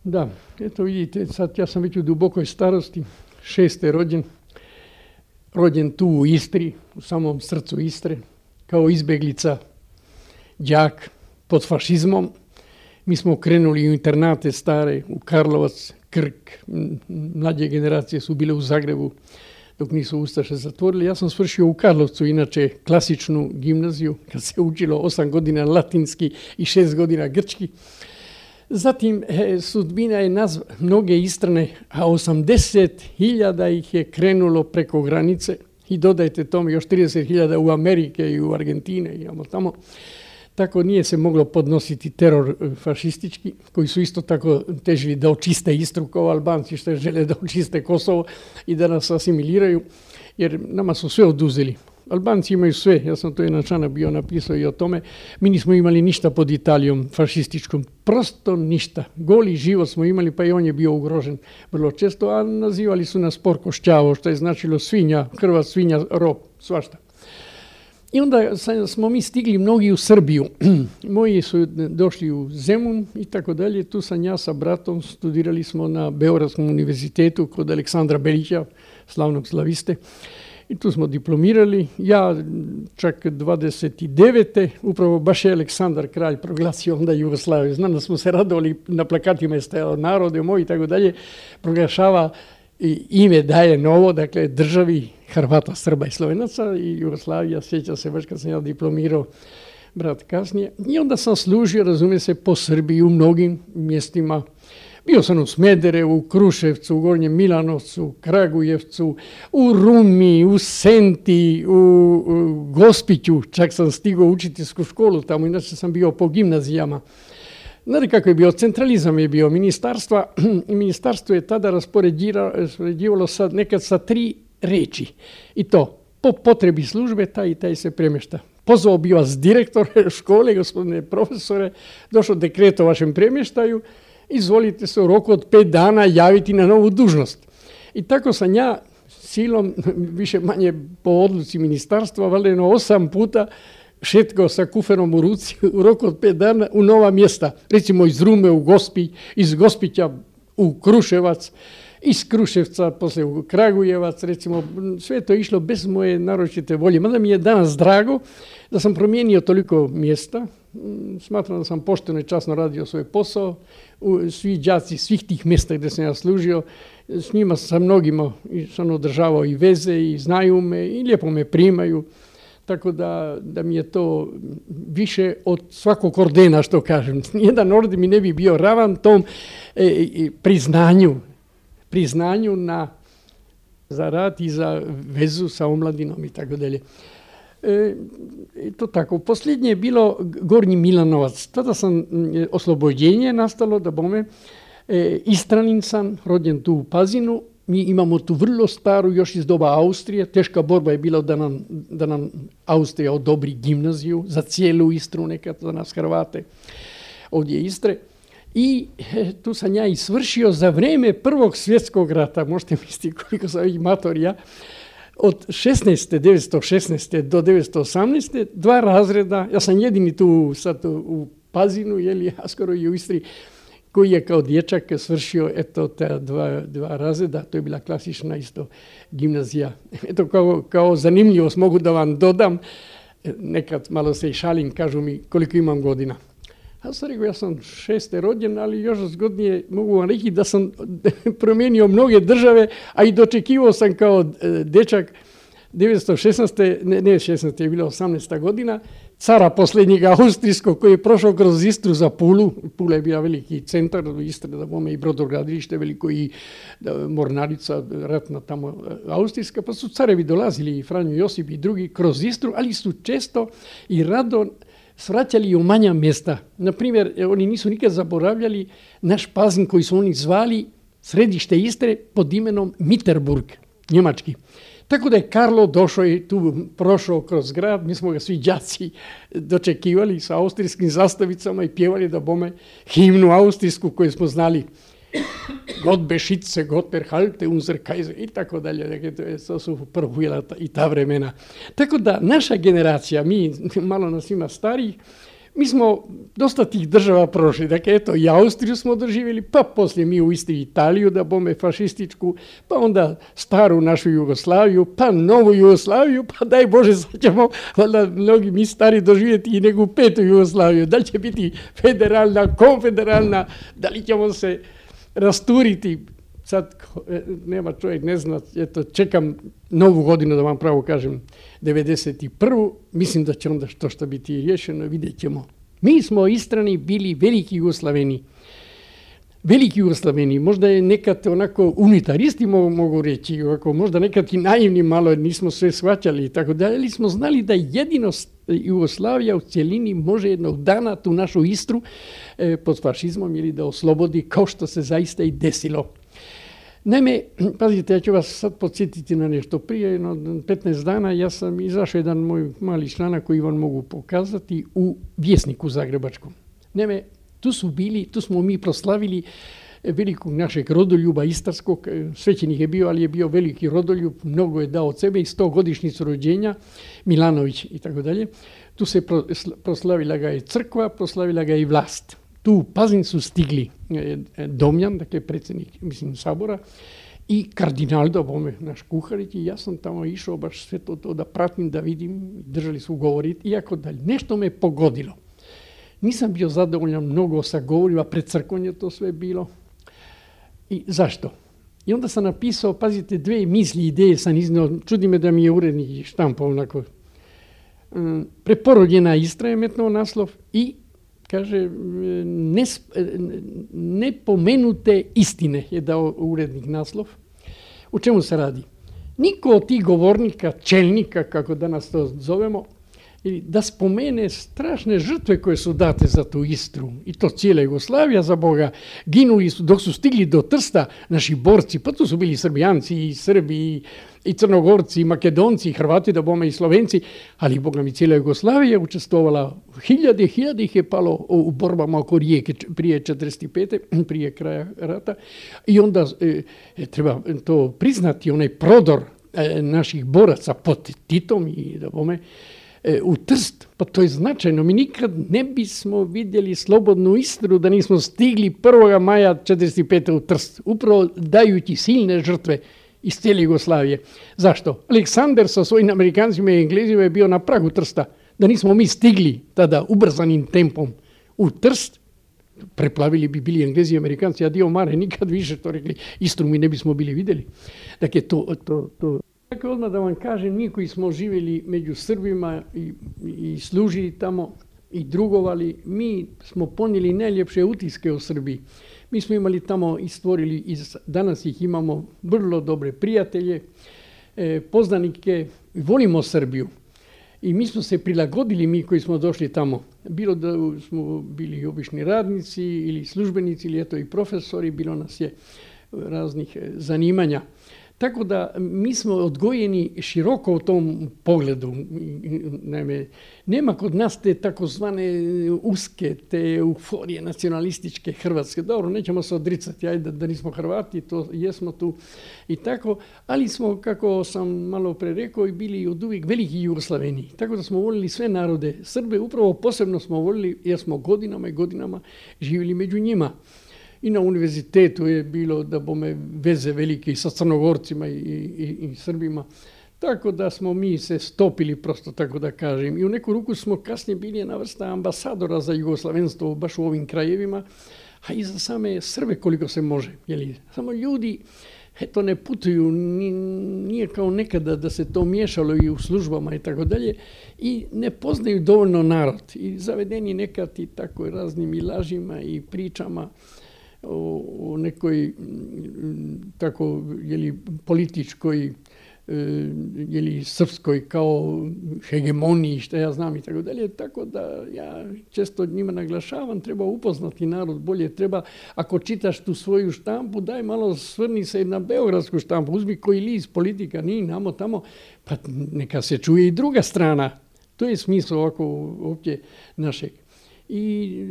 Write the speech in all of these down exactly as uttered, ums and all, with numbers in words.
Da, eto vidite, sad ja sam već u dubokoj starosti, šeste rođen, rođen tu u Istri, u samom srcu Istre, kao izbeglica, đak pod fašizmom. Mi smo krenuli u internate stare, u Karlovac, Krk, mlađe generacije su bile u Zagrebu dok nisu Ustaše zatvorili. Ja sam svršio u Karlovcu, inače klasičnu gimnaziju, kad se učilo osam godina latinski i šest godina grčki. Zatim e, sudbina je nazva mnoge Istrane, a osamdeset hiljada ih je krenulo preko granice i dodajte tome još trideset hiljada u Amerike i u Argentine i tamo. Tako nije se moglo podnositi teror fašistički, koji su isto tako težili da očiste Istru kao Albanci što žele da očiste Kosovo i da nas asimiliraju, jer nama su sve oduzeli. Albanci imaju sve, ja sam to jedan članak bio napisao i o tome. Mi nismo imali ništa pod Italijom fašističkom, prosto ništa. Goli život smo imali, pa i on je bio ugrožen vrlo često, a nazivali su nas porkošćavo, što je značilo svinja, krva svinja, rob, svašta. I onda smo mi stigli mnogi u Srbiju. Moji su došli u Zemun i tako dalje. Tu sam ja sa bratom, studirali smo na Beogradskom univerzitetu kod Aleksandra Belića, slavnog slaviste. I tu smo diplomirali. Ja čak dvadeset devete upravo baš je Aleksandar kralj proglasio onda Jugoslaviju. Znam da smo se radovali, na plakatima je stajalo narode moj i tako dalje. Proglašava i ime daje novo, dakle državi Hrvata, Srba i Slovenaca i Jugoslavija, sjeća se baš kad sam ja diplomirao, brat kasnije. I onda sam služio, razumije se, po Srbiji u mnogim mjestima. Bio sam u Smederevu, u Kruševcu, u Gornjem Milanovcu, Kragujevcu, u Rumi, u Senti, u, u Gospiću, čak sam stigao učiteljsku školu tamo, inače sam bio po gimnazijama. Znate kako je bio? Centralizam je bio ministarstva i ministarstvo je tada raspoređivalo sad nekad sa tri reči. I to, po potrebi službe, taj i taj se premješta. Pozvao bi vas direktor škole, gospodine profesore, došao dekret o vašem premještaju, izvolite se u roku od pet dana javiti na novu dužnost. I tako sam ja silom, više manje po odluci ministarstva, valjda osam puta šetkao sa kuferom u ruci u roku od pet dana u nova mjesta. Recimo iz Rume u Gospić, iz Gospića u Kruševac, iz Kruševca poslije u Kragujevac, recimo sve to išlo bez moje naročite volje. Mada mi je danas drago da sam promijenio toliko mjesta. Smatram da sam pošteno i časno radio svoj posao. Svi đaci svih tih mjesta gdje sam ja služio, s njima sa mnogima sam održavao i veze i znaju me i lijepo me primaju. Tako da, da mi je to više od svakog ordena, što kažem. Nijedan orden mi ne bi bio ravan tom e, e, priznanju, priznanju na, za rad i za vezu sa omladinom i tako dalje. E, to tako. Posljednje je bilo Gornji Milanovac. Tada sam e, oslobođenje nastalo, da bome, e, Istranin sam, rođen tu u Pazinu. Mi imamo tu vrlo staru, još iz doba Austrije. Teška borba je bila da nam, da nam Austrija odobri gimnaziju za cijelu Istru, nekad za nas Hrvate, ovdje Istre. I e, tu sam ja i svršio za vrijeme Prvog svjetskog rata, možete misliti koliko sam ih matorija, od šesnaeste, devetsto šesnaeste do devetsto osamnaeste dva razreda, ja sam jedini tu sad u Pazinu, jeli, a skoro i u Istri, koji je kao dječak svršio eto ta dva, dva razreda, to je bila klasična isto gimnazija. Eto kao, kao zanimljivost mogu da vam dodam, nekad malo se i šalim, kažu mi koliko imam godina. Ja sam rekao, ja sam šeste rođen, ali još zgodnije mogu vam reći da sam promijenio mnoge države, a i dočekivao sam kao dječak devetsto šesnaeste, ne, ne šesnaeste je bila osamnaesta godina, cara posljednjega austrijskog koji je prošao kroz Istru za Pulu. Pula je bila veliki centar u Istri, da bome i brodogradilište veliko i da, mornarica ratna tamo austrijska, pa su carevi dolazili i Franjo Josip i drugi kroz Istru, ali su često i rado svraćali u manja mjesta. Naprimjer, oni nisu nikad zaboravljali naš Pazin koji su oni zvali središte Istre pod imenom Mitterburg, njemački. Tako da je Karlo došao i tu prošao kroz grad, mi smo ga svi đaci dočekivali sa austrijskim zastavicama i pjevali da bome himnu austrijsku koju smo znali. God beschütze, Gott erhalte unser Kaiser i tako dalje. Dakle, to su prvo bila i ta vremena. Tako da naša generacija, mi malo nas ima starijih, mi smo dosta tih država prošli. Dakle, eto, i Austriju smo doživjeli, pa poslije mi u Istri Italiju, da bome fašističku, pa onda staru našu Jugoslaviju, pa novu Jugoslaviju, pa daj Bože, sad ćemo, valjda mnogi mi stari doživjeti i neku petu Jugoslaviju. Da li će biti federalna, konfederalna, da li ćemo se rasturiti. Sad nema čovjek, ne zna, eto, čekam novu godinu, da vam pravo kažem, devedeset prvu. Mislim da će onda što što biti riješeno, vidjet ćemo. Mi smo Istrani bili veliki Jugoslaveni. Veliki Jugoslaveni, možda je nekad onako unitaristi mogu, mogu reći, ovako, možda nekad i naivni malo, nismo sve shvaćali i tako dalje, ali smo znali da jedino Jugoslavija u cjelini može jednog dana tu našu Istru eh, pod fašizmom ili da oslobodi, kao što se zaista i desilo. Naime, pazite, ja ću vas sad podsjetiti na nešto. Prije jedno petnaest dana ja sam izašao jedan moj mali članak koji vam mogu pokazati u Vjesniku zagrebačkom. Naime, tu su bili, tu smo mi proslavili velikog našeg rodoljuba istarskog, svećenik je bio, ali je bio veliki rodoljub, mnogo je dao od sebe i sto godišnjicu rođenja, Milanović i tako dalje. Tu se proslavila ga i crkva, proslavila ga i vlast. Tu u Pazin su stigli Domjan, dakle predsjednik, mislim, sabora, i kardinal Dobome, naš Kuharić, i ja sam tamo išao baš sve to, to da pratim, da vidim, držali su govoriti, iako dalje. Nešto me pogodilo. Nisam bio zadovoljan mnogo sa govorima, pred crkvom je to sve bilo. I zašto? I onda sam napisao, pazite, dve misli, ideje sam iznio, čudi me da mi je urednik štampao onako. Preporodjena Istra je metnuo naslov i kaže, nepomenute istine je dao urednik naslov. U čemu se radi? Niko od tih govornika, čelnika, kako danas to zovemo, da spomene strašne žrtve koje su date za tu Istru. I to cijela Jugoslavija, za Boga. Ginuli su, dok su stigli do Trsta, naši borci, pa tu su bili Srbijanci i Srbi i, i Crnogorci i Makedonci i Hrvati, da bome i Slovenci, ali Boga mi cijela Jugoslavija je učestvovala. Hiljade, hiljade ih je palo u borbama oko Rijeke prije četrdeset pete prije kraja rata. I onda e, treba to priznati, onaj prodor e, naših boraca pod Titom i da bome u Trst, pa to je značajno. Mi nikad ne bismo vidjeli slobodnu Istru da nismo stigli prvog maja četrdeset pete u Trst, upravo dajući silne žrtve iz cijele Jugoslavije. Zašto? Aleksandar sa svojim Amerikancima i Englezima je bio na pragu Trsta. Da nismo mi stigli tada ubrzanim tempom u Trst, preplavili bi bili Englezi i Amerikanci, a dio mare nikad više to rekli, Istru mi ne bismo bili vidjeli. Dakle, to... to, to Dakle, odmah da vam kažem, mi koji smo živjeli među Srbima i, i služili tamo i drugovali, mi smo ponijeli najljepše utiske o Srbiji. Mi smo imali tamo i stvorili, i danas ih imamo vrlo dobre prijatelje, eh, poznanike, volimo Srbiju. I mi smo se prilagodili, mi koji smo došli tamo, bilo da smo bili obični radnici ili službenici ili eto i profesori, bilo nas je raznih zanimanja. Tako da mi smo odgojeni široko u tom pogledu. Naime, nema kod nas te takozvane uske, te euforije nacionalističke Hrvatske. Dobro, nećemo se odricati, ajde da nismo Hrvati, to jesmo tu i tako, ali smo, kako sam malo pre rekao, i bili od uvijek veliki Jugoslaveni. Tako da smo volili sve narode. Srbe upravo posebno smo volili jer smo godinama i godinama živjeli među njima. I na univerzitetu je bilo da bome veze velike sa Crnogorcima i, i, i Srbima. Tako da smo mi se stopili, prosto tako da kažem. I u neku ruku smo kasnije bili jedna vrsta ambasadora za jugoslavenstvo baš u ovim krajevima, a i za same Srbe koliko se može. Jeli? Samo ljudi eto, ne putuju, nije kao nekada da se to miješalo i u službama i tako dalje, i ne poznaju dovoljno narod. I zavedeni nekad i tako raznim i lažima i pričama o, o nekoj tako jeli, političkoj jeli, srpskoj kao hegemoniji, što ja znam i tako dalje. Tako da ja često njima naglašavam, treba upoznati narod bolje, treba, ako čitaš tu svoju štampu, daj malo svrni se na beogradsku štampu, uzmi koji list politika, nije namo tamo, pa neka se čuje i druga strana. To je smisao ovako uopće našeg. I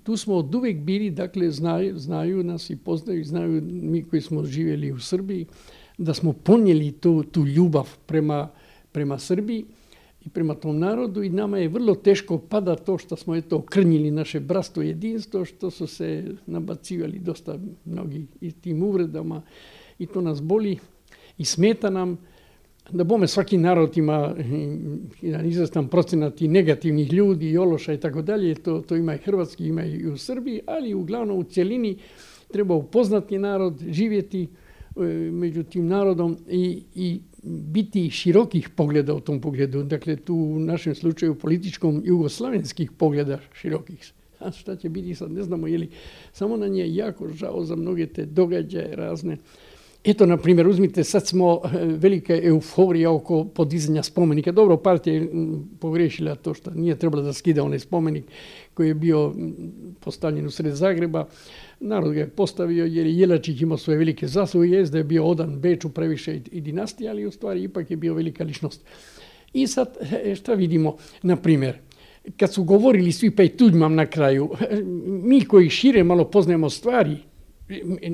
tu smo od uvijek bili, dakle, znaju, znaju nas i poznaju, znaju mi koji smo živjeli u Srbiji, da smo ponijeli tu, tu ljubav prema, prema Srbiji i prema tom narodu i nama je vrlo teško pada to što smo eto okrnjili naše bratstvo i jedinstvo, što su se nabacivali dosta mnogi i tim uvredama i to nas boli i smeta nam. Da bome svaki narod ima jedan izvestan procenat i negativnih ljudi i ološa i tako dalje, to, to ima i hrvatski, ima i u Srbiji, ali uglavnom u cjelini treba upoznati narod, živjeti e, među tim narodom i, i biti širokih pogleda u tom pogledu. Dakle, tu u našem slučaju političkom jugoslavenskih pogleda širokih. A šta će biti sad, ne znamo, je li samo nam je jako žao za mnoge te događaje razne. Eto, na primjer, uzmite, sad smo velika euforija oko podizanja spomenika. Dobro, partija je pogriješila to što nije trebalo da skida onaj spomenik koji je bio postavljen u sred Zagreba. Narod ga je postavio jer je Jelačić imao svoje velike zasluge, jest da je bio odan Beču previše i dinastije, ali u stvari ipak je bio velika ličnost. I sad, šta vidimo? Na primjer, kad su govorili svi, pa i Tuđman na kraju, mi koji šire malo poznajemo stvari,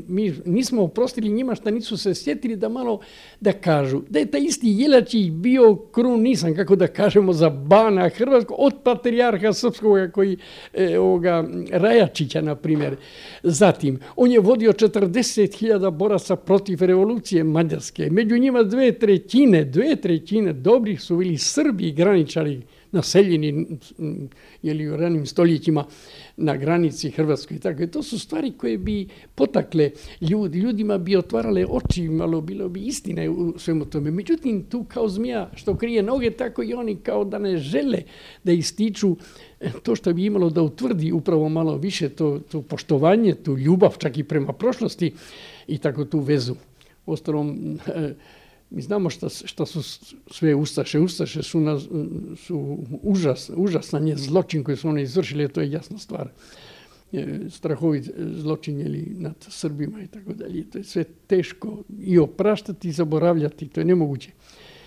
mi nismo oprostili njima što nisu se sjetili da malo da kažu da je taj isti Jelačić bio krunisan, kako da kažemo, za bana hrvatskog od patrijarha srpskog koji e, ovoga Rajačića, na primjer. Zatim, on je vodio četrdeset hiljada boraca protiv revolucije mađarske. Među njima dve trećine, dve trećine dobrih su bili Srbi, graničari, naseljeni jeli, u ranim stoljećima na granici Hrvatskoj. Tako, to su stvari koje bi potakle ljudi, ljudima bi otvarale oči, malo bilo bi istine u svemu tome. Međutim, tu kao zmija što krije noge, tako i oni kao da ne žele da ističu to što bi imalo da utvrdi upravo malo više to, to poštovanje, tu ljubav čak i prema prošlosti i tako tu vezu. Ostalom, mi znamo šta, šta su sve ustaše. Ustaše su, na, su užas, užasan je zločin koji su one izvršili, to je jasna stvar. Strahovit zločin jeli, nad Srbima i tako dalje. To je sve teško i opraštati i zaboravljati, to je nemoguće.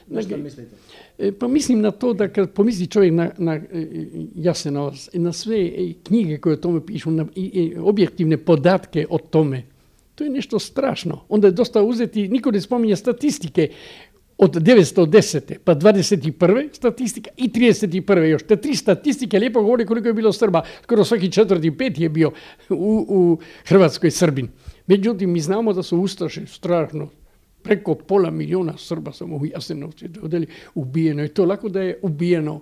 Na što mislite? Pa mislim na to da kad pomisli čovjek na, na Jasenovac, na sve knjige koje o tome pišu, na i objektivne podatke o tome, to je nešto strašno. Onda je dosta uzeti, niko ne spominje statistike od devetsto desete pa dvadeset prve statistika i trideset prve još. Te tri statistike lijepo govori koliko je bilo Srba. Skoro svaki četvrti, peti je bio u, u Hrvatskoj Srbin. Međutim, mi znamo da su ustaše strašno. Preko pola miliona Srba samo u Jasenovcu ubijeno. I to lako da je ubijeno,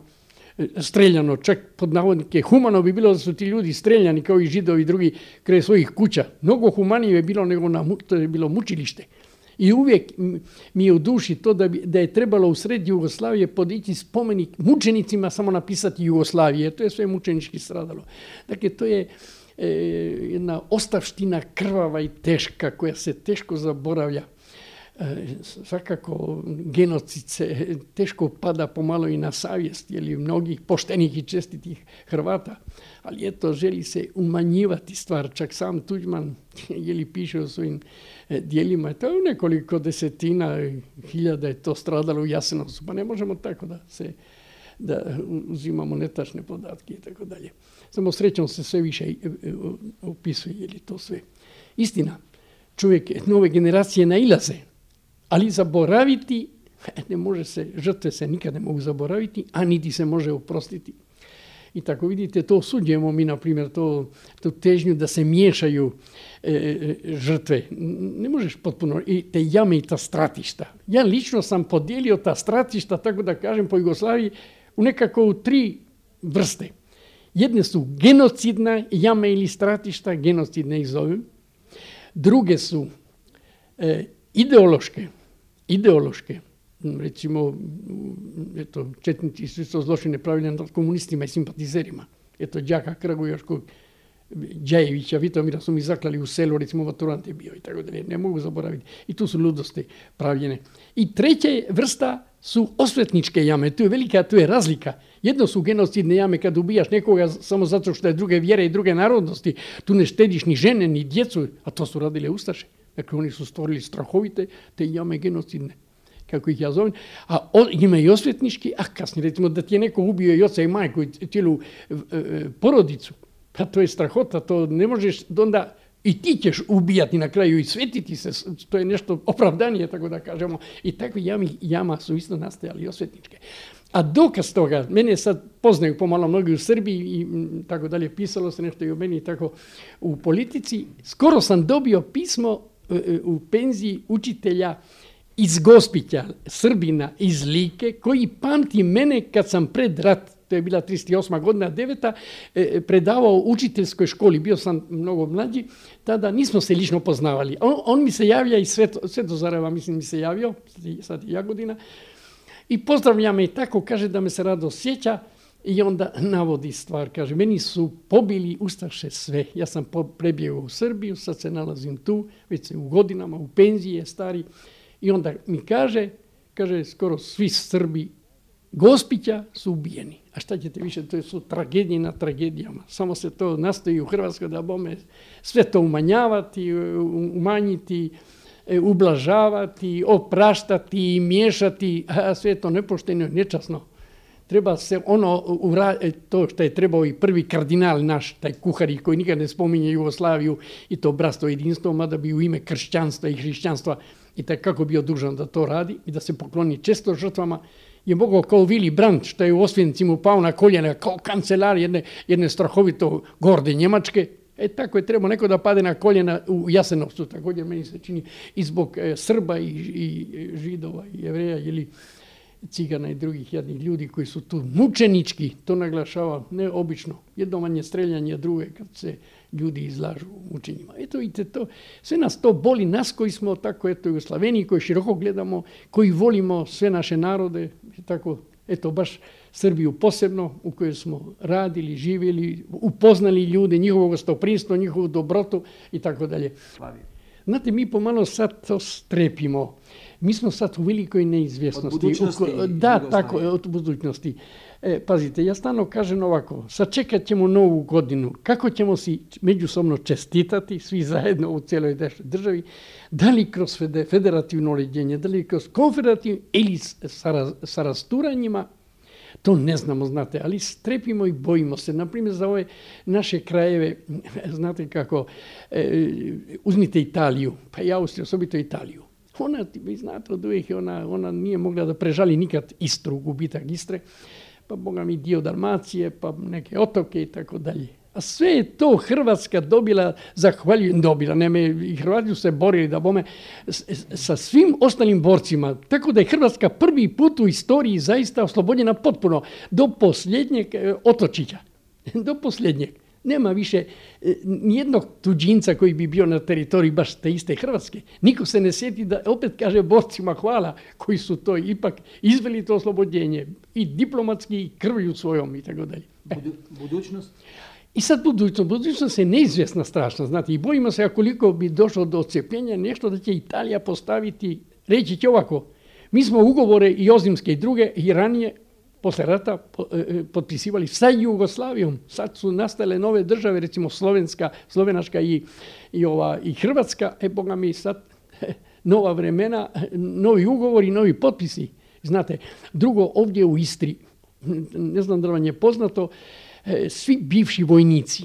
streljano, čak pod navodnike. Humano bi bilo da su ti ljudi streljani kao i Židovi i drugi kraj svojih kuća. Mnogo humanije je bilo nego na, to je bilo mučilište. I uvijek mi je u duši to da, bi, da je trebalo u sred Jugoslavije podići spomenik mučenicima, samo napisati Jugoslavije. To je sve mučenički stradalo. Dakle, to je e, jedna ostavština krvava i teška koja se teško zaboravlja. Svakako genocid se teško pada pomalo i na savjest jeli, mnogih poštenih i čestitih Hrvata, ali eto želi se umanjivati stvar. Čak sam Tuđman jeli, piše o svojim dijelima, to je nekoliko desetina hiljada je to stradalo u Jasenovcu, pa ne možemo tako da se da uzimamo netačne podatke i tako dalje. Samo srećom se sve više opisuje jeli, to sve. Istina, čovjek, nove generacije nailaze, ali zaboraviti, ne može se, žrtve se nikad ne mogu zaboraviti, a niti se može oprostiti. I tako vidite, to osuđujemo mi, na primjer, to, tu težnju da se miješaju e, žrtve. Ne možeš potpuno, i te jame i ta stratišta. Ja lično sam podijelio ta stratišta, tako da kažem, po Jugoslaviji, u nekako u tri vrste. Jedne su genocidna jame ili stratišta, genocidne ih zovem. Druge su e, ideološke, ideološke, recimo, eto, četnici su isto zločine pravili nad komunistima i simpatizerima. Eto, đaka Kragujevačkog, Đajevića, Vitomira su mi zaklali u selu, recimo maturant je bio i tako dalje, ne mogu zaboraviti. I tu su ludosti pravljene. I treća vrsta su osvetničke jame, tu je velika, tu je razlika. Jedno su genocidne jame kad ubijaš nekoga samo zato što je druge vjere i druge narodnosti, tu ne štediš ni žene, ni djecu, a to su radile ustaše. Dakle, oni su stvorili strahovite te jame genocidne, kako ih ja zovem, a o, ima i osvetnički, a kasnije, recimo, da ti je neko ubio i oca i majku i cijelu e, e, porodicu, pa to je strahota, to ne možeš, onda i ti ćeš ubijati na kraju i svetiti se, to je nešto opravdanije, tako da kažemo. I takve jami, jama su isto nastajali osvetničke. A dokaz toga, mene sad poznaju pomalo mnogi u Srbiji i tako dalje, pisalo se nešto i o meni tako u politici. Skoro sam dobio pismo u penziji učitelja iz Gospića, Srbina iz Like, koji pamti mene kad sam pred rat, to je bila trideset osma godina, deveta, predavao u učiteljskoj školi, bio sam mnogo mlađi, tada nismo se lično poznavali. On, on mi se javlja iz Sveto, Svetozareva, mislim mi se javio, sad je Jagodina, i pozdravlja me i tako, kaže da me se rado sjeća i onda navodi stvar, kaže, meni su pobili ustaše sve, ja sam prebjegao u Srbiju, sad se nalazim tu, već se u godinama, u penziji je stari, i onda mi kaže, kaže, skoro svi Srbi Gospića su ubijeni. A šta ćete više, to su tragedije na tragedijama. Samo se to nastoji u Hrvatskoj da bome sve to umanjavati, umanjiti, ublažavati, opraštati, miješati, a sve to nepošteno i nečasno. Treba se ono, to što je trebao i prvi kardinal naš, taj Kuhari, koji nikad ne spominje Jugoslaviju i to bratstvo jedinstvo, mada bi u ime kršćanstva i hrišćanstva i tako kako bio dužan da to radi i da se pokloni često žrtvama, je mogao kao Willy Brandt, što je u Osvencimu pao na koljena, kao kancelar jedne, jedne strahovito gorde Njemačke. E tako je trebao neko da pade na koljena u Jasenovcu, također meni se čini, i zbog e, Srba i, i Židova i Jevreja ili Cigana i drugih jadnih ljudi koji su tu mučenički, to naglašava neobično. Jedno manje streljanje, drugo kad se ljudi izlažu mučenjima. Eto vidite to, sve nas to boli, nas koji smo tako eto u Sloveniji, koji široko gledamo, koji volimo sve naše narode, tako eto baš Srbiju posebno u kojoj smo radili, živjeli, upoznali ljude, njihovo gostoprimstvo, njihovu dobrotu i tako dalje. Znate, mi pomalo sad to strepimo. Mi smo sad u velikoj neizvjesnosti. Od budućnosti. U, da, tako, od budućnosti. E, pazite, ja stalno kažem ovako, sačekat ćemo novu godinu, kako ćemo si međusobno čestitati, svi zajedno u cijeloj državi, da li kroz federativno uređenje, da li kroz konfederativno ili sa, sa rasturanjima, to ne znamo, znate, ali strepimo i bojimo se. Naprimjer, za ove naše krajeve, znate kako, e, uzmite Italiju, pa i Austriju, osobito Italiju. Ona, vi znate, od uvijek ona, ona nije mogla da prežali nikad Istru, gubitak Istre, pa boga mi dio Dalmacije, pa neke otoke i tako dalje. A sve je to Hrvatska dobila, zahvaljujem dobila, neme, i Hrvati su se borili da bome s, sa svim ostalim borcima, tako da je Hrvatska prvi put u istoriji zaista oslobođena potpuno do posljednjeg otočića, do posljednjeg. Nema više nijednog tuđinca koji bi bio na teritoriji baš te iste Hrvatske. Niko se ne sjeti da opet kaže borcima hvala koji su to ipak izveli to oslobođenje i diplomatski i krvlju svojom i tako dalje. Budu, budućnost? I sad budućnost. Budućnost je neizvjesna strašno, znate, i bojimo se koliko bi došlo do odcepljenja nešto da će Italija postaviti, reći će ovako, mi smo ugovore i ozimske i druge i ranije posle rata potpisivali sa Jugoslavijom. Sad su nastale nove države, recimo Slovenska, Slovenačka i, i, ova, i Hrvatska. E, boga mi sad nova vremena, novi ugovori, novi potpisi. Znate, drugo, ovdje u Istri, ne znam da vam je poznato, svi bivši vojnici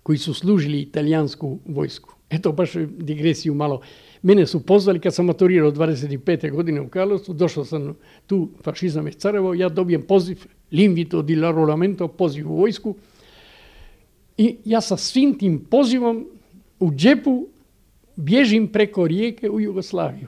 koji su služili italijansku vojsku. Eto, baš digresiju malo. Mene su pozvali kad sam maturirao dvadeset pete godine u Karlovcu, došao sam tu, fašizam je carevo, ja dobijem poziv, l'invito di l'arruolamento, poziv u vojsku. I ja sa svim tim pozivom u džepu bježim preko rijeke u Jugoslaviju.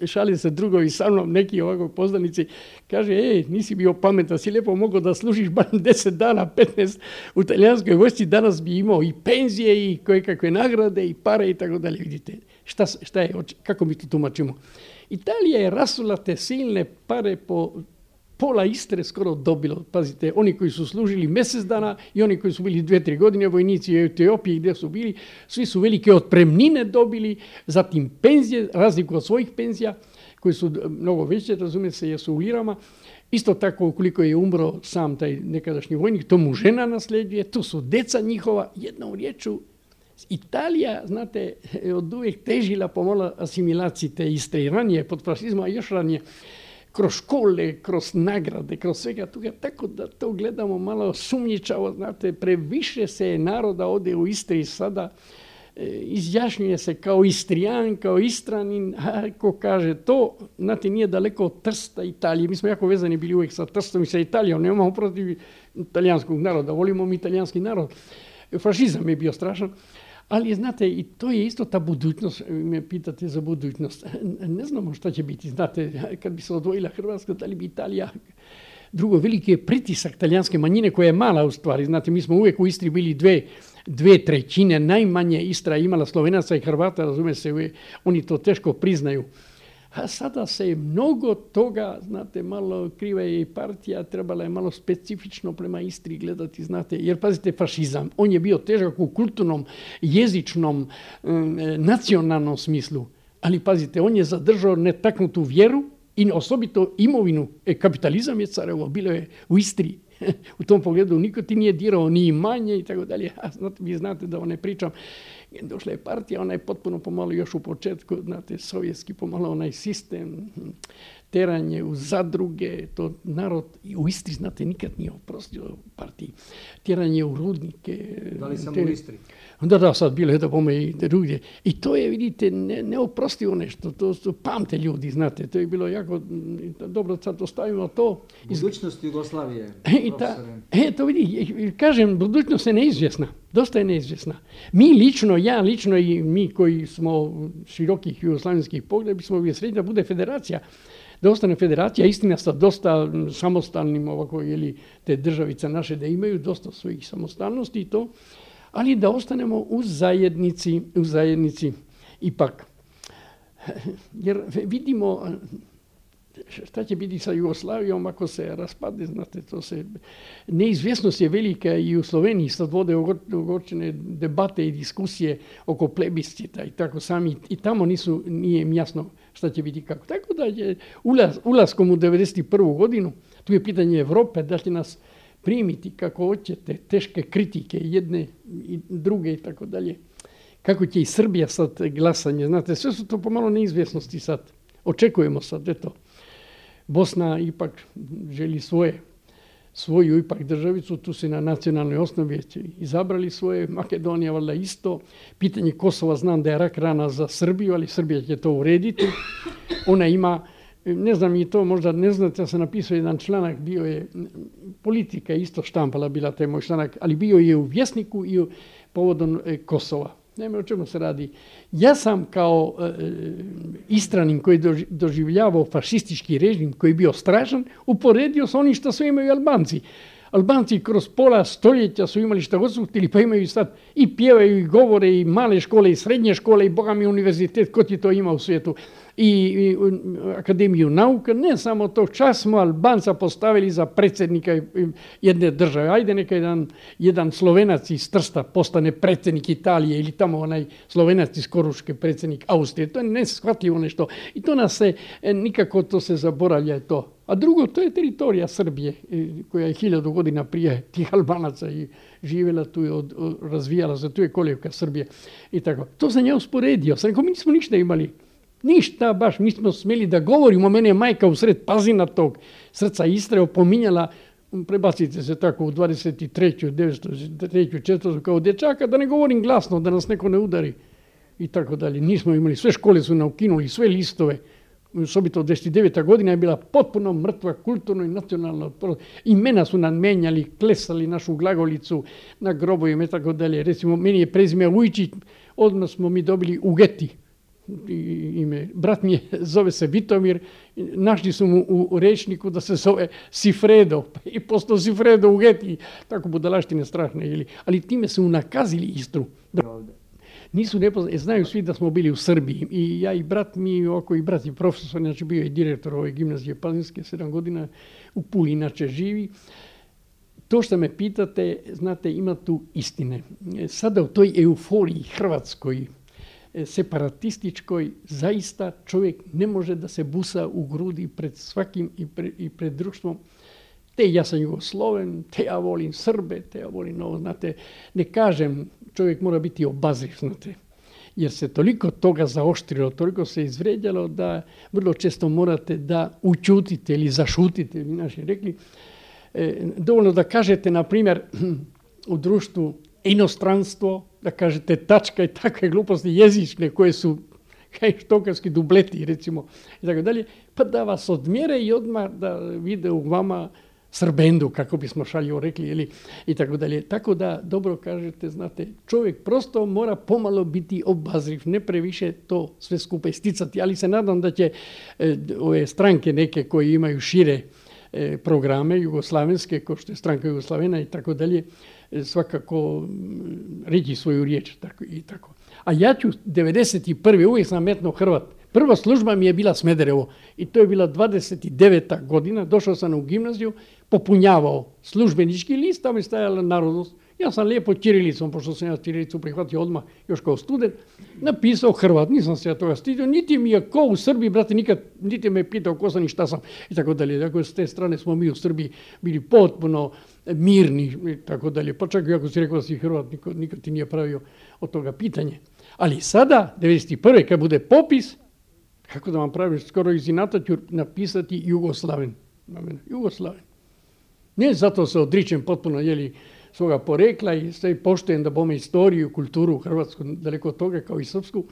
Šali se drugovi sa mnom, neki ovako poznanici, kaže, ej, nisi bio pametan, si lijepo mogao da služiš barem deset dana, petnaest u talijanskoj vojsci, danas bi imao i penzije i koje kakve nagrade i pare i tako dalje, vidite. Šta, šta je, kako mi to tumačimo? Italija je rasula te silne pare po pola Istre skoro dobilo. Pazite, oni koji su služili mjesec dana i oni koji su bili dve, tri godine, vojnici u Etiopiji gdje su bili, svi su velike otpremnine dobili, zatim penzije, razliku od svojih penzija, koji su mnogo veće, razumije se, jesu u lirama. Isto tako, ukoliko je umro sam taj nekadašnji vojnik, to mu žena nasljeđuje, to su deca njihova, jednom riječu. Italija, znate, od uvijek težila pomalo asimilaciji te Istre i ranije, pod fašizma, još ranije, kroz škole, kroz nagrade, kroz svega toga, tako da to gledamo malo sumnjičavo, znate, previše se naroda ode u Istri sada izjašnjuje se kao Istrijan, kao Istranin, ako kaže to, znate, nije daleko od Trsta, Italije. Mi smo jako vezani bili uvijek sa Trstom i sa Italijom, nemamo protiv italijanskog naroda, volimo mi italijanski narod. Fašizam je bio strašan, ali znate, i to je isto ta budućnost, me pitate za budućnost. Ne znamo šta će biti, znate, kad bi se odvojila Hrvatska, da li bi Italija... Drugo, veliki je pritisak talijanske manjine koja je mala u stvari. Znate, mi smo uvijek u Istri bili dve, dve trećine, najmanje Istra je imala Slovenaca i Hrvata, razume se, oni to teško priznaju. A sada se je mnogo toga, znate, malo kriva je i partija, trebala je malo specifično prema Istri gledati, znate, jer pazite, fašizam, on je bio težak u kulturnom, jezičnom, nacionalnom smislu, ali pazite, on je zadržao netaknutu vjeru i osobito imovinu. E, kapitalizam je carevo, bilo je u Istri. U tom pogledu niko ti nije dirao ni imanje i tako dalje. A znate, vi znate da ne pričam. Došla je partija, ona je potpuno pomalo još u početku, znate, sovjetski pomalo onaj sistem, teranje u zadruge, to narod u Istri, znate, nikad nije oprostio partiji. Tjeranje u rudnike. Da li samo u Istri? Da, da, sad bilo je da bome i drugdje. I to je, vidite, ne, neoprostivo nešto. To su pamte ljudi, znate. To je bilo jako dobro, sad ostavimo to. Budućnost Jugoslavije, I ta, e, to vidi, kažem, budućnost je neizvjesna. Dosta je neizvjesna. Mi lično, ja lično i mi koji smo širokih jugoslavenskih pogleda, bismo uvijek srednji da bude federacija. Da ostane federacija, istina sa dosta samostalnim ovako, ili te državice naše da imaju dosta svojih samostalnosti i to, ali da ostanemo u zajednici, u zajednici ipak. Jer vidimo šta će biti sa Jugoslavijom ako se raspadne, znate, to se... Neizvjesnost je velika i u Sloveniji, sad vode ogorčene debate i diskusije oko plebiscita i tako sami, i tamo nisu, nije im jasno šta će biti kako. Tako da je ulaz, ulaskom u devedeset prvu godinu, tu je pitanje Evrope, da će nas primiti kako hoćete, teške kritike jedne i druge i tako dalje. Kako će i Srbija sad glasanje, znate, sve su to pomalo neizvjesnosti sad. Očekujemo sad, eto. Bosna ipak želi svoje, svoju ipak državicu, tu se na nacionalnoj osnovi izabrali svoje, Makedonija valjda isto. Pitanje Kosova znam da je rak rana za Srbiju, ali Srbija će to urediti. Ona ima, ne znam i to možda ne znate, ja sam napisao jedan članak, bio je, politika isto štampala bila taj moj članak, ali bio je u Vjesniku i u povodom Kosova. Nema o čemu se radi. Ja sam kao e, Istranin koji je doživljavao fašistički režim koji je bio strašan, uporedio sa onim što su imaju Albanci. Albanci kroz pola stoljeća su imali šta god su htjeli, pa imaju sad i pjevaju i govore i male škole i srednje škole i boga mi univerzitet, ko ti to ima u svijetu. I, i Akademiju nauka, ne samo to, čas smo Albanca postavili za predsjednika jedne države. Ajde neka jedan, jedan Slovenac iz Trsta postane predsjednik Italije ili tamo onaj Slovenac iz Koruške predsjednik Austrije. To je neshvatljivo nešto. I to nas se, nikako to se zaboravlja to. A drugo, to je teritorija Srbije koja je hiljadu godina prije tih Albanaca i živjela tu i od, od, razvijala se, tu je kolijevka Srbije i tako. To sam ja usporedio. Sam rekao, mi nismo ništa imali. Ništa baš, mi smo smjeli da govorimo, mene je majka usred Pazina tog srca Istre opominjala, prebacite se tako u dvadeset treću, devetsto treću, četvrtu kao dječaka, da ne govorim glasno, da nas neko ne udari i tako dalje. Nismo imali, sve škole su nam ukinuli, sve listove, osobito devedeset deveta godina je bila potpuno mrtva, kulturno i nacionalno. Imena su nam menjali, klesali našu glagolicu na grobovima i tako dalje. Recimo, meni je prezime Vujčić, odmah smo mi dobili Ugeti. Ime. Brat mi je, zove se Vitomir, našli su mu u rečniku da se zove Sifredo i postao Sifredo Ugeti, tako budalaštine strašne. Ili, ali time su unakazili Istru. Nisu nepoznati, znaju svi da smo bili u Srbiji i ja i brat mi, oko i brat je profesor, znači bio je direktor ove gimnazije Pazinske, sedam godina u Puli, inače živi. To što me pitate, znate, ima tu istine. Sada u toj euforiji hrvatskoj, separatističkoj, zaista čovjek ne može da se busa u grudi pred svakim i pred, i pred društvom. Te ja sam Jugosloven, te ja volim Srbe, te ja volim ovo, znate, ne kažem, čovjek mora biti obazriv, znate, jer se toliko toga zaoštrilo, toliko se izvređalo da vrlo često morate da učutite ili zašutite, ili naši rekli. E, dovoljno da kažete, na primjer, u društvu inostranstvo, da kažete tačka i takve gluposti jezične koje su kaj štokavski dubleti, recimo, i tako dalje, pa da vas odmjere i odmah da vide u vama srbendu, kako bismo šaljivo rekli, ili, i tako dalje. Tako da, dobro kažete, znate, čovjek prosto mora pomalo biti obazriv, ne previše to sve skupa isticati, ali se nadam da će e, ove stranke neke koje imaju šire e, programe jugoslavenske, kao što je stranka Jugoslavena i tako dalje, e, svakako reći svoju riječ tako, i tako. A ja ću devedeset prve uvijek sam metno Hrvat. Prva služba mi je bila Smederevo i to je bila dvadeset deveta godina. Došao sam u gimnaziju, popunjavao službenički list, tamo je stajala narodnost. Ja sam lijepo ćirilicom, pošto sam ja ćirilicu prihvatio odmah još kao student, napisao Hrvat. Nisam se ja toga stidio, niti mi je ko u Srbiji, brate, nikad, niti me pitao ko sam i šta sam i tako dalje. Dakle, s te strane smo mi u Srbiji bili potpuno mirni i tako dalje. Pa čak i ako si rekao da si Hrvat, nikad, nikad ti nije pravio od toga pitanje. Ali sada, devedeset prve kad bude popis, kako da vam pravim, skoro iz inata ću napisati Jugoslaven. Jugoslaven. Ne zato se odričem potpuno jeli, svoga porekla i sve poštujem da bome istoriju, kulturu Hrvatsku, daleko od toga kao i srpsku,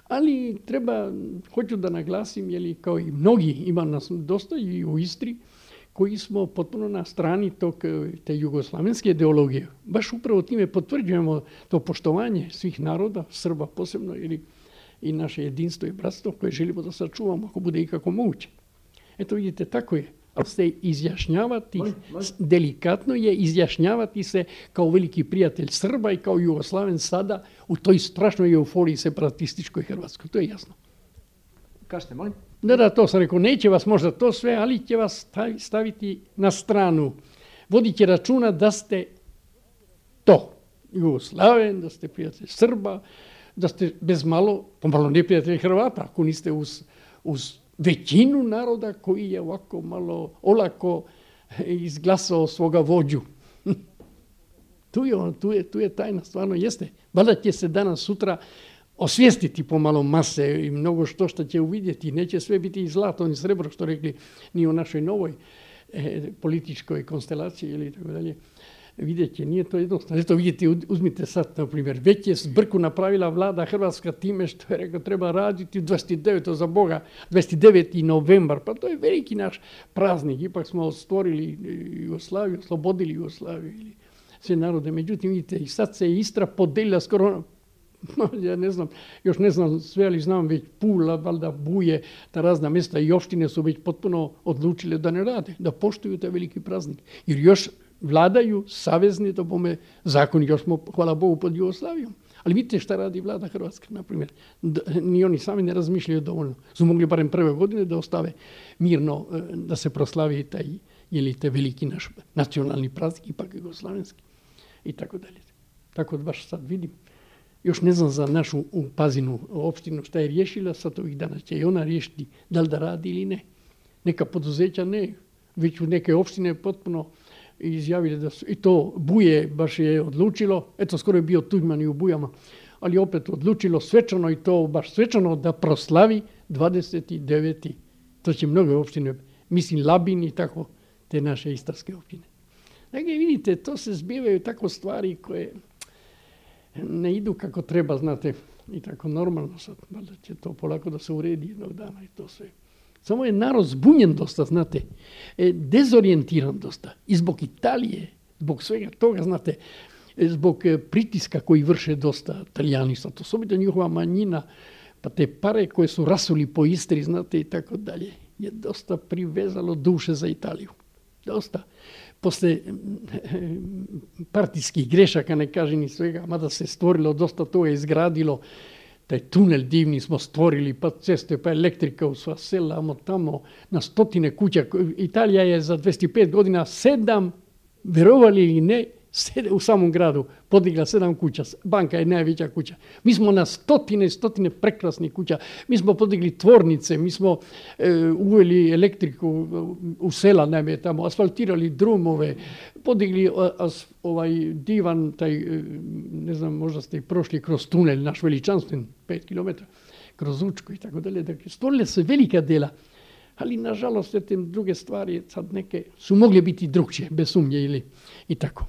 ali treba, hoću da naglasim, jeli, kao i mnogi, ima nas dosta i u Istri, koji smo potpuno na strani tog, te jugoslavenske ideologije. Baš upravo time potvrđujemo to poštovanje svih naroda, Srba posebno, ili i naše jedinstvo i bratstvo koje želimo da sačuvamo ako bude ikako moguće. Eto vidite, tako je. Ali se izjašnjavati, moj, moj. delikatno je izjašnjavati se kao veliki prijatelj Srba i kao Jugoslaven sada u toj strašnoj euforiji separatističkoj Hrvatskoj. To je jasno. Kažete, molim? Da, da, to sam rekao, neće vas možda to sve, ali će vas staviti na stranu. Vodit će računa da ste to, Jugoslaven, da ste prijatelj Srba, da ste bez malo, pomalo neprijatelj Hrvata, ako niste uz, uz većinu naroda koji je ovako malo olako izglasao svoga vođu. tu, je on, tu, je, tu je tajna, stvarno jeste. Valjda će se danas, sutra osvijestiti pomalo mase i mnogo što što će uvidjeti. Neće sve biti i zlato ni srebro, što rekli, ni u našoj novoj e, političkoj konstelaciji ili tako dalje. Vidjet će, nije to jednostavno. Eto vidite, uzmite sad, na primjer, već je zbrku napravila vlada Hrvatska time što je rekao treba raditi dvadeset devetog za Boga, dvadeset deveti novembar, pa to je veliki naš praznik. Ipak smo stvorili Jugoslaviju, oslobodili Jugoslaviju ili sve narode. Međutim, vidite, i sad se Istra podelila skoro, ja ne znam, još ne znam sve, ali znam već Pula, valjda Buje, ta razna mjesta i opštine su već potpuno odlučile da ne rade, da poštuju taj veliki praznik. Jer još vladaju savezni, to bome zakoni, još smo, hvala Bogu, pod Jugoslavijom. Ali vidite šta radi vlada Hrvatska, na primjer. Ni oni sami ne razmišljaju dovoljno. Su mogli barem prve godine da ostave mirno, da se proslavi taj, jeli, te veliki naš nacionalni praznik, ipak jugoslavenski. I tako dalje. Tako da baš sad vidim. Još ne znam za našu Pazinu opštinu šta je riješila, sad ovih dana će i ona riješiti da li da radi ili ne. Neka poduzeća ne, već u neke opštine potpuno izjavili da su, i to Buje baš je odlučilo, eto skoro je bio Tuđman i u Bujama, ali opet odlučilo svečano i to baš svečano da proslavi dvadeset deveti To će mnoge opštine, mislim Labin i tako, te naše istarske opštine. Dakle, vidite, to se zbivaju tako stvari koje ne idu kako treba, znate, i tako normalno sad, valjda će to polako da se uredi jednog dana i to sve. Samo je narod zbunjen dosta, znate, e, dezorijentiran dosta. I zbog Italije, zbog svega toga, znate, e, zbog e, pritiska koji vrše dosta Italijani, sad osobito njihova manjina, pa te pare koje su rasuli po Istri, znate, i tako dalje, je dosta privezalo duše za Italiju. Dosta. Posle e, partijskih grešaka, ne kažem ni svega, mada se stvorilo dosta toga, izgradilo, taj tunel divni smo stvorili, pa ceste, pa elektrika u sva sela, tamo na stotine kuća. Italija je za dvadeset pet godina sedam, verovali ili ne, u samom gradu podigla sedam kuća. Banka je najveća kuća. Mi smo na stotine, stotine prekrasnih kuća. Mi smo podigli tvornice, mi smo e, uveli elektriku u sela, najme tamo, asfaltirali drumove, podigli as, ovaj divan, taj, ne znam, možda ste i prošli kroz tunel, naš veličanstven, pet kilometara, kroz Učku i tako dalje. Dakle, stvorile se velika dela, ali nažalost te druge stvari sad neke su mogle biti drugčije, bez sumnje ili i tako.